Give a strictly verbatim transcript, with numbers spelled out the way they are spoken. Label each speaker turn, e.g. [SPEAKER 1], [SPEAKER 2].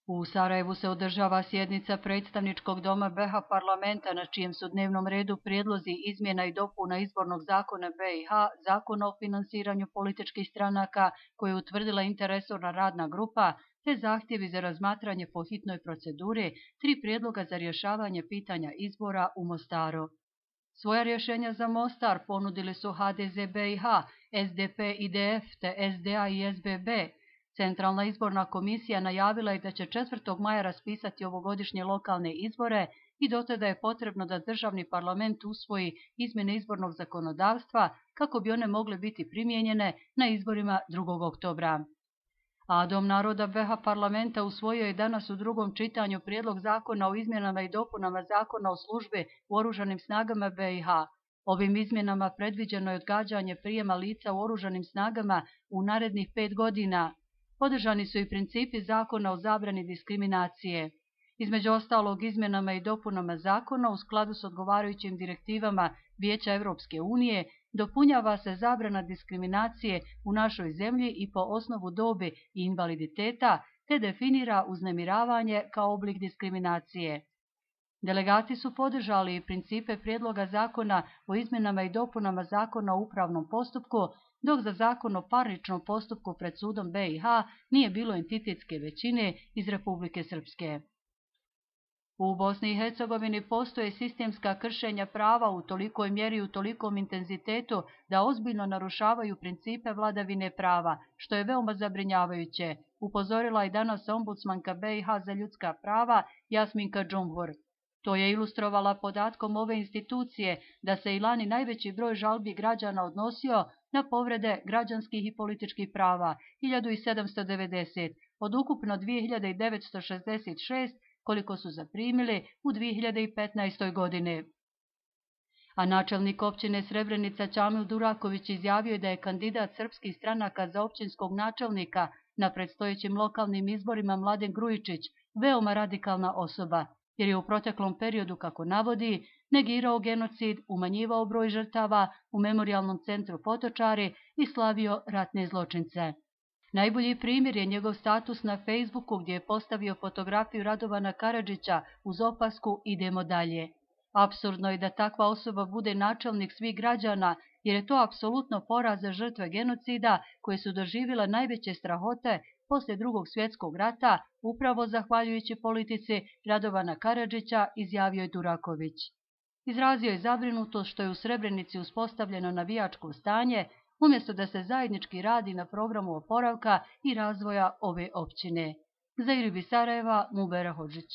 [SPEAKER 1] U Sarajevu se održava sjednica predstavničkog doma be ha parlamenta na čijem su dnevnom redu prijedlozi izmjena i dopuna izbornog zakona be i ha, zakona o finansiranju političkih stranaka koje je utvrdila interresorna radna grupa, te zahtjevi za razmatranje po hitnoj proceduri, tri prijedloga za rješavanje pitanja izbora u Mostaru. Svoja rješenja za Mostar ponudili su ha de ze be i ha, es de pe i de ef te es de a i es be be. Centralna izborna komisija najavila je da će četvrtog maja raspisati ovogodišnje lokalne izbore i do tada je potrebno da državni parlament usvoji izmjene izbornog zakonodavstva kako bi one mogle biti primijenjene na izborima drugog oktobra. A Dom naroda be ha parlamenta usvojio je danas u drugom čitanju prijedlog zakona o izmjenama i dopunama zakona o službi u oružanim snagama be i ha. Ovim izmjenama predviđeno je odgađanje prijema lica u oružanim snagama u narednih pet godina. Podržani su i principi zakona o zabrani diskriminacije. Između ostalog, izmjenama i dopunama zakona u skladu s odgovarajućim direktivama Vijeća Europske unije dopunjava se zabrana diskriminacije u našoj zemlji i po osnovu dobi i invaliditeta, te definira uznemiravanje kao oblik diskriminacije. Delegati su podržali i principe prijedloga zakona o izmjenama i dopunama zakona o upravnom postupku, dok za zakon o parničnom postupku pred sudom be i ha nije bilo entitetske većine iz Republike Srpske. U Bosni i Hercegovini postoje sistemska kršenja prava u tolikoj mjeri i u tolikom intenzitetu da ozbiljno narušavaju principe vladavine prava, što je veoma zabrinjavajuće, upozorila je danas ombudsmanka be i ha za ljudska prava Jasminka Džumhur. To je ilustrovala podatkom ove institucije da se i lani najveći broj žalbi građana odnosio na povrede građanskih i političkih prava, hiljadu sedamsto devedeset, od ukupno dvije hiljade devetsto šezdeset šest koliko su zaprimili u dvije hiljade petnaestoj. godini. A načelnik općine Srebrenica Ćamil Duraković izjavio je da je kandidat srpskih stranaka za općinskog načelnika na predstojećim lokalnim izborima Mladen Grujičić veoma radikalna osoba, jer je u proteklom periodu, kako navodi, negirao genocid, umanjivao broj žrtava u memorijalnom centru Potočari i slavio ratne zločince. Najbolji primjer je njegov status na Facebooku gdje je postavio fotografiju Radovana Karadžića uz opasku "Idemo dalje". Apsurdno je da takva osoba bude načelnik svih građana, jer je to apsolutno poraz za žrtve genocida koje su doživjele najveće strahote poslije drugog svjetskog rata, upravo zahvaljujući politici Radovana Karadžića, izjavio je Duraković. Izrazio je zabrinutost što je u Srebrenici uspostavljeno navijačko stanje, umjesto da se zajednički radi na programu oporavka i razvoja ove općine. Za Iribi Sarajeva, Mubera Hodžić.